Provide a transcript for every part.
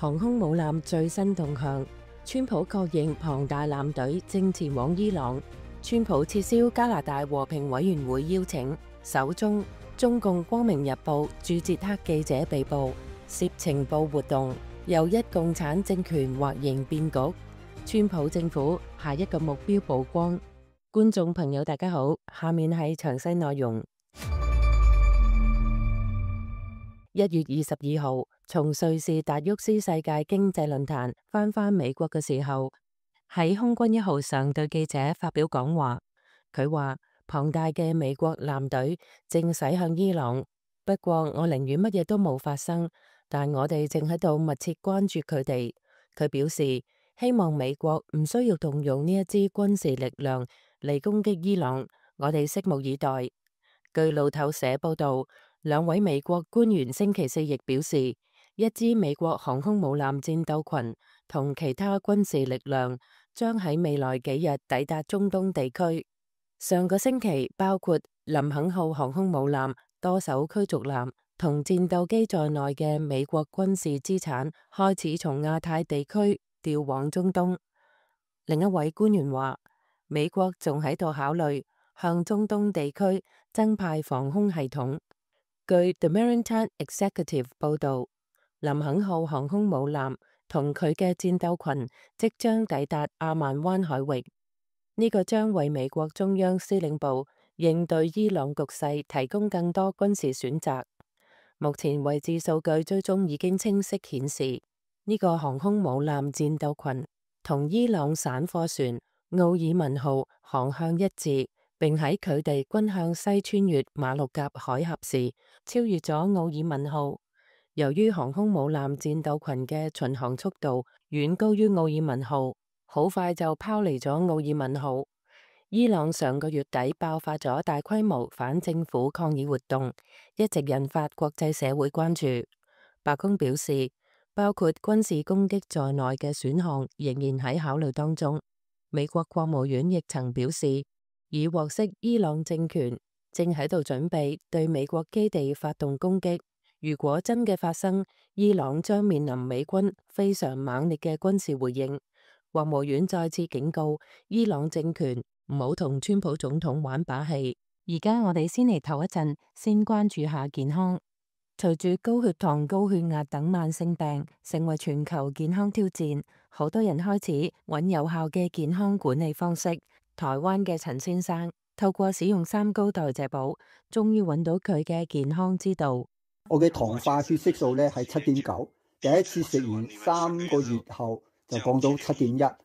航空母艦最新動向，川普確認龐大艦隊正前往伊朗。川普撤銷加拿大和平委員會邀請。首宗中共光明日報駐捷克記者被捕，涉情報活動，又一共產政權或形變局。川普政府下一個目標曝光。觀眾朋友大家好，下面係詳細內容。1月22號，從瑞士達沃斯世界經濟論壇返美國嘅時候，喺空軍1號上對記者發表講話。佢話龐大嘅美國艦隊正駛向伊朗，不過我寧願乜嘢都冇發生，但我哋正喺度密切關注佢哋。佢表示希望美國唔需要動用呢一支軍事力量嚟攻擊伊朗，我哋拭目以待。據路透社報道，兩位美國官員星期四亦表示，一支美國航空母艦戰鬥群同其他軍事力量將喺未來幾日抵達中東地區。上個星期，包括林肯號航空母艦、多艘驅逐艦同戰鬥機在內嘅美國軍事資產開始從亞太地區調往中東。另一位官員話，美國仲喺度考慮向中東地區增派防空系統。據 The Maritime Executive 報道，林肯號航空母艦同佢嘅戰鬥群即將抵達阿曼灣海域，呢個將為美國中央司令部應對伊朗局勢提供更多軍事選擇。目前位置數據追蹤已經清晰顯示，呢個航空母艦戰鬥群同伊朗散貨船奧爾文號航向一致，並喺佢哋均向西穿越馬六甲海峽時超越咗奧爾文號。由於航空母艦戰鬥群嘅巡航速度遠高於奧爾文號，好快就拋離咗奧爾文號。伊朗上個月底爆發咗大規模反政府抗議活動，一直引發國際社會關注。白宮表示，包括軍事攻擊在內嘅選項仍然喺考慮當中。美國國務院亦曾表示，已獲悉伊朗政權正喺度準備對美國基地發動攻擊。如果真嘅發生，伊朗將面臨美軍非常猛烈嘅軍事回應。國務院再次警告伊朗政權唔好同川普總統玩把戲。而家我哋先嚟唞一陣，先關注下健康。隨住高血糖、高血壓等慢性病成為全球健康挑戰，好多人開始揾有效嘅健康管理方式。台灣嘅陳先生透過使用三高代謝寶，終於揾到佢嘅健康之道。我嘅糖化血色素咧係7.9，第一次食完3個月後就降到7.1，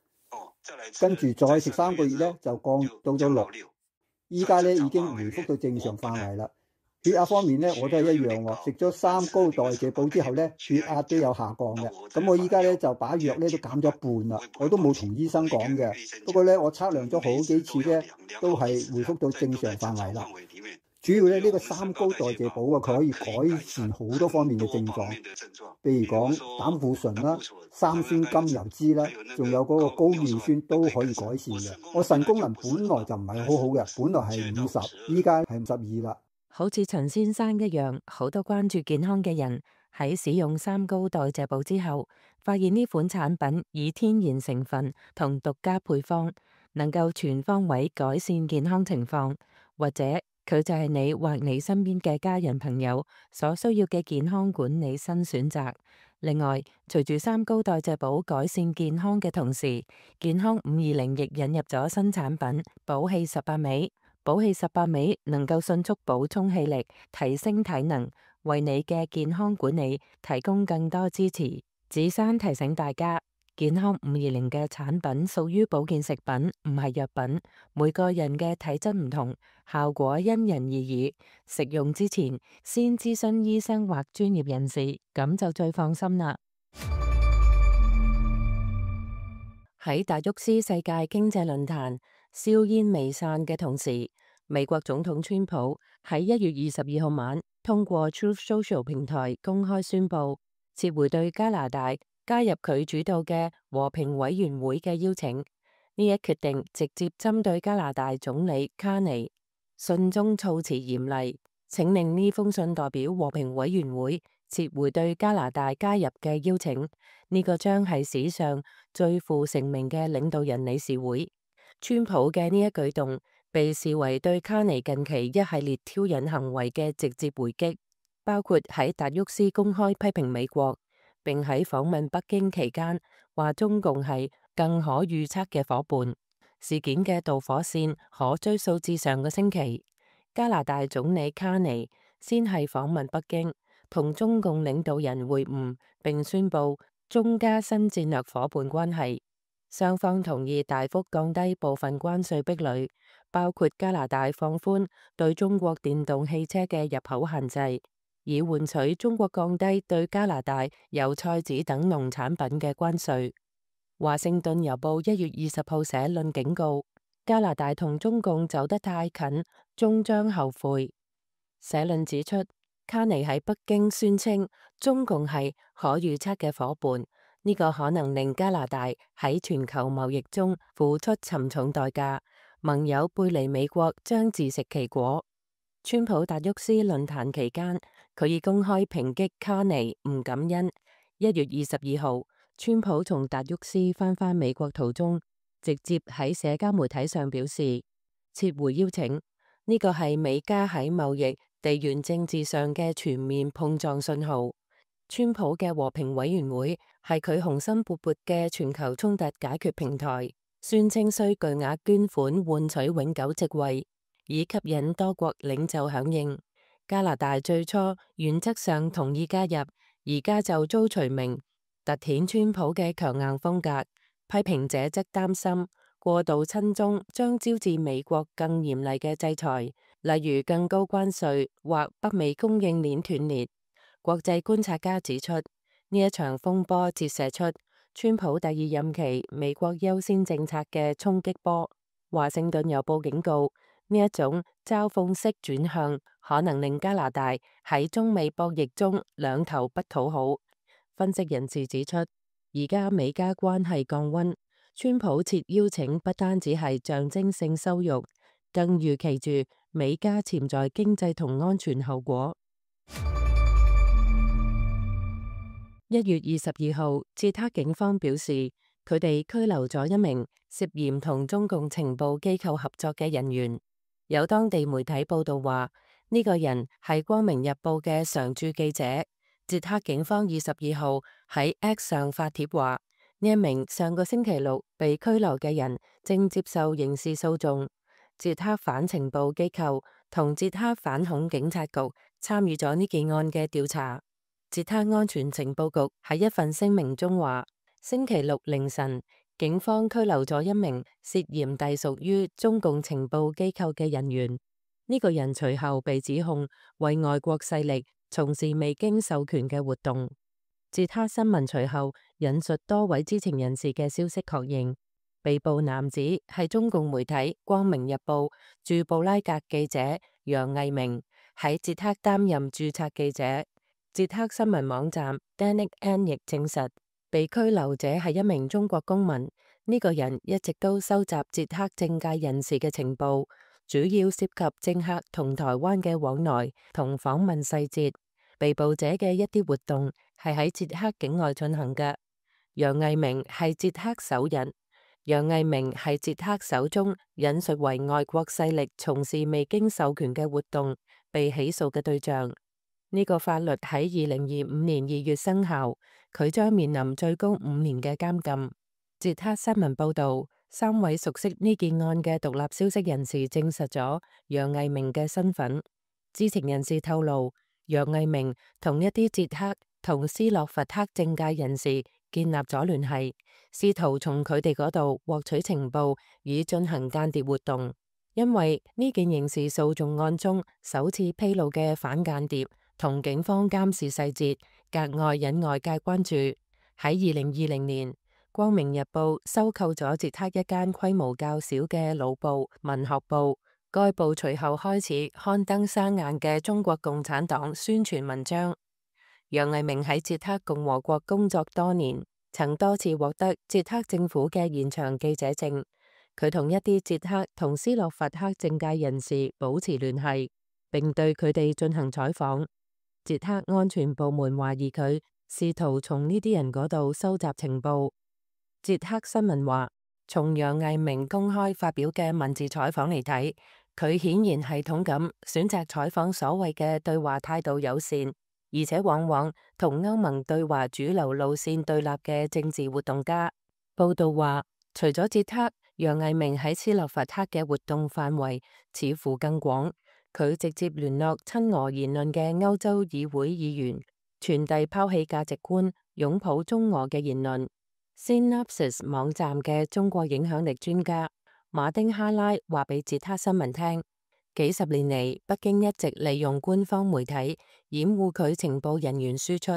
跟住再食3個月咧就降到咗6，依家咧已經回復到正常範圍啦。血壓方面咧我都係一樣喎，食咗三高代謝寶之後咧血壓都有下降嘅。咁我依家咧就把藥咧都減咗一半啦，我都冇同醫生講嘅。不過咧我測量咗好幾次咧都係回復到正常範圍啦。主要咧呢個三高代謝寶啊，佢可以改善好多方面嘅症狀，譬如講膽固醇啦、三酸甘油酯啦，仲有嗰個高尿酸都可以改善嘅。我腎功能本來就唔係好好嘅，本來係50，依家係52啦。好似陳先生一樣，好多關注健康嘅人喺使用三高代謝寶之後，發現呢款產品以天然成分同獨家配方，能夠全方位改善健康情況，或者佢就係你或你身邊嘅家人朋友所需要嘅健康管理新選擇。另外，隨住三高代謝寶改善健康嘅同時，健康520亦引入咗新產品寶氣18味。寶氣18味能夠迅速補充氣力，提升體能，為你嘅健康管理提供更多支持。子珊提醒大家，健康520嘅產品屬於保健食品，唔係藥品。每個人嘅體質唔同，效果因人而異。食用之前先諮詢醫生或專業人士，咁就最放心啦。喺達沃斯世界經濟論壇硝煙未散嘅同時，美國總統川普喺1月22號晚通過 Truth Social 平台公開宣布撤回對加拿大加入佢主導嘅和平委員會嘅邀請。呢一決定直接針對加拿大總理卡尼，信中措辭嚴厲，請令呢封信代表和平委員會撤回對加拿大加入嘅邀請。呢個將係史上最負盛名嘅領導人理事會。川普嘅呢一舉動被視為對卡尼近期一系列挑釁行為嘅直接回擊，包括喺達沃斯公開批評美國，並喺訪問北京期間話中共係更可預測嘅夥伴。事件嘅導火線可追溯至上個星期，加拿大總理卡尼先係訪問北京，同中共領導人會晤，並宣布中加新戰略夥伴關係。雙方同意大幅降低部分關稅壁壘，包括加拿大放寬對中國電動汽車嘅入口限制，以換取中國降低對加拿大油菜籽等農產品嘅關稅。華盛頓郵報1月20號社論警告，加拿大同中共走得太近，終將後悔。社論指出，卡尼喺北京宣稱中共係可預測嘅夥伴，呢個可能令加拿大喺全球貿易中付出沉重代價，盟友背離美國將自食其果。川普達沃斯論壇期間，佢已公開抨擊卡尼唔感恩。1月22號，川普從達沃斯返美國途中，直接喺社交媒體上表示撤回邀請，呢個係美加喺貿易、地緣政治上嘅全面碰撞信號。川普嘅和平委員會係佢雄心勃勃嘅全球衝突解決平台，宣稱需巨額捐款換取永久席位，以吸引多國領袖響應。加拿大最初原則上同意加入，而家就遭除名，凸顯川普嘅強硬風格。批評者則擔心過度親中將招致美國更嚴厲嘅制裁，例如更高關稅或北美供應鏈斷裂。國際觀察家指出，呢一場風波折射出川普第二任期美國優先政策嘅衝擊波。華盛頓郵報警告，呢一種嘲諷式轉向可能令加拿大喺中美博弈中兩頭不討好。分析人士指出，而家美加關係降溫，川普撤邀請不單止係象徵性羞辱，更預期住美加潛在經濟同安全後果。1月22號，捷克警方表示，佢哋拘留咗一名涉嫌同中共情報機構合作嘅人員。有當地媒體報道話，呢個人係光明日報嘅常駐記者。捷克警方22號喺 X 上發帖話，呢一名上個星期六被拘留嘅人正接受刑事訴訟。捷克反情報機構同捷克反恐警察局參與咗呢件案嘅調查。捷克安全情報局喺一份聲明中話，星期六凌晨，警方拘留咗一名涉嫌隸屬於中共情報機構嘅人員。呢個人隨後被指控為外國勢力從事未經授權嘅活動。捷克新聞隨後引述多位知情人士嘅消息，確認被捕男子係中共媒體《光明日報》駐布拉格記者楊毅明，喺捷克擔任註冊記者。捷克新聞網站 Danik N 亦證實，被拘留者係一名中國公民。呢個人一直都收集捷克政界人士嘅情報，主要涉及政客同台灣嘅往來同訪問細節。被捕者嘅一啲活動係喺捷克境外進行嘅。楊毅明係捷克首人。楊毅明係捷克首宗引述為外國勢力從事未經授權嘅活動被起訴嘅對象。呢個法律喺2025年2月生效，佢將面臨最高5年嘅監禁。捷克新聞報道，3位熟悉呢件案嘅獨立消息人士證實咗楊毅明嘅身份。知情人士透露，楊毅明同一啲捷克同斯洛伐克政界人士建立咗聯繫，試圖從佢哋嗰度獲取情報，以進行間諜活動。因為呢件刑事訴訟案中首次披露嘅反間諜同警方監視細節，格外引外界關注。喺2020年，《光明日報》收購咗捷克一間規模較小嘅老報《文學報》，該報隨後開始刊登生硬嘅中國共產黨宣傳文章。楊毅明喺捷克共和國工作多年，曾多次獲得捷克政府嘅延長記者證。佢同一啲捷克同斯洛伐克政界人士保持聯繫，並對佢哋進行採訪。捷克安全部門懷疑佢試圖從呢啲人嗰度收集情報。捷克新聞話，從楊毅明公開發表嘅文字採訪嚟睇，佢顯然系統咁選擇採訪所謂嘅對話態度友善，而且往往同歐盟對華主流路線對立嘅政治活動家。報道話，除咗捷克，楊毅明喺斯洛伐克嘅活動範圍似乎更廣。佢直接聯絡親俄言論嘅歐洲議會議員，傳遞拋棄價值觀、擁抱中俄嘅言論。Synopsis 網站嘅中國影響力專家馬丁哈拉話俾捷克新聞聽，幾十年嚟，北京一直利用官方媒體掩護佢情報人員輸出。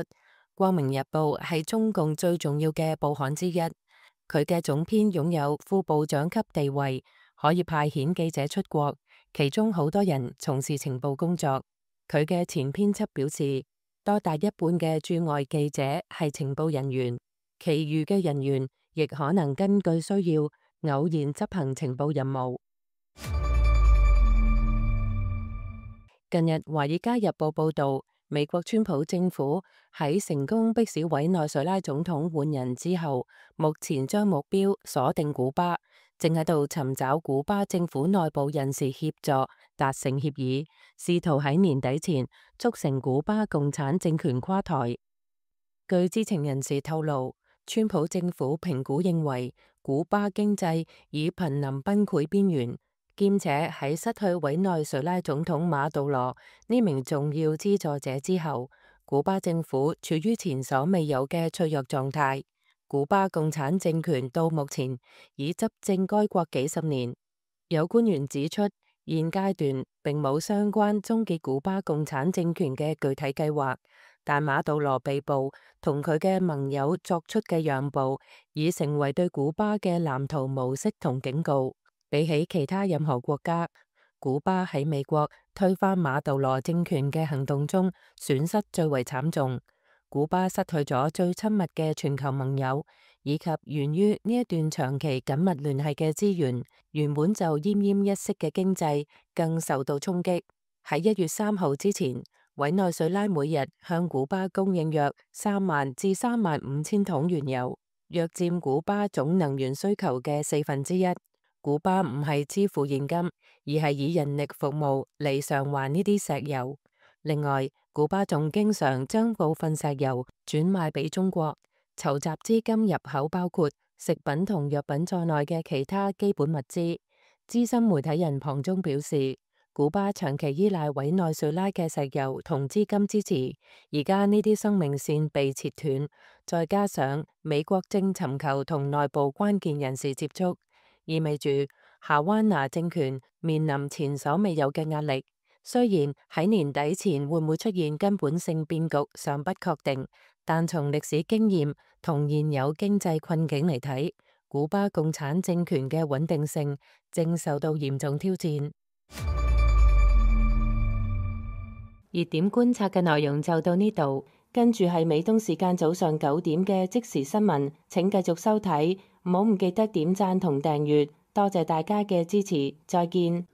光明日報係中共最重要嘅報刊之一，佢嘅總編擁有副部長級地位，可以派遣記者出國，其中好多人從事情報工作。佢嘅前編輯表示，多達一半嘅駐外記者係情報人員，其餘嘅人員亦可能根據需要偶然執行情報任務。近日，《華爾街日報》報道，美國川普政府喺成功迫使委內瑞拉總統換人之後，目前將目標鎖定古巴，正喺度尋找古巴政府內部人士協助達成協議，試圖喺年底前促成古巴共產政權垮台。據知情人士透露，川普政府評估認為，古巴經濟已瀕臨崩潰邊緣，兼且喺失去委內瑞拉總統馬杜羅呢名重要資助者之後，古巴政府處於前所未有嘅脆弱狀態。古巴共產政權到目前已執政該國幾十年。有官員指出，現階段並冇相關終結古巴共產政權嘅具體計劃，但馬杜羅被捕同佢嘅盟友作出嘅讓步，已成為對古巴嘅藍圖模式同警告。比起其他任何國家，古巴喺美國推翻馬杜羅政權嘅行動中損失最為慘重。古巴失去咗最親密嘅全球盟友，以及源於呢一段長期緊密聯繫嘅資源，原本就奄奄一息嘅經濟更受到衝擊。喺1月3號之前，委內瑞拉每日向古巴供應約3萬至3萬5千桶原油，約佔古巴總能源需求嘅1/4。古巴唔係支付現金，而係以人力服務嚟償還呢啲石油。另外，古巴仲經常將部分石油轉賣俾中國，籌集資金入口包括食品同藥品在內嘅其他基本物資。資深媒體人龐中表示，古巴長期依賴委內瑞拉嘅石油同資金支持，而家呢啲生命線被切斷，再加上美國正尋求同內部關鍵人士接觸，意味住夏灣拿政權面臨前所未有嘅壓力。雖然喺年底前會唔會出現根本性變局尚不確定，但從歷史經驗同現有經濟困境嚟睇，古巴共產政權嘅穩定性正受到嚴重挑戰。熱點觀察嘅內容就到呢度，跟住係美東時間早上9點嘅即時新聞，請繼續收睇，唔好唔記得點讚同訂閱，多謝大家嘅支持，再見。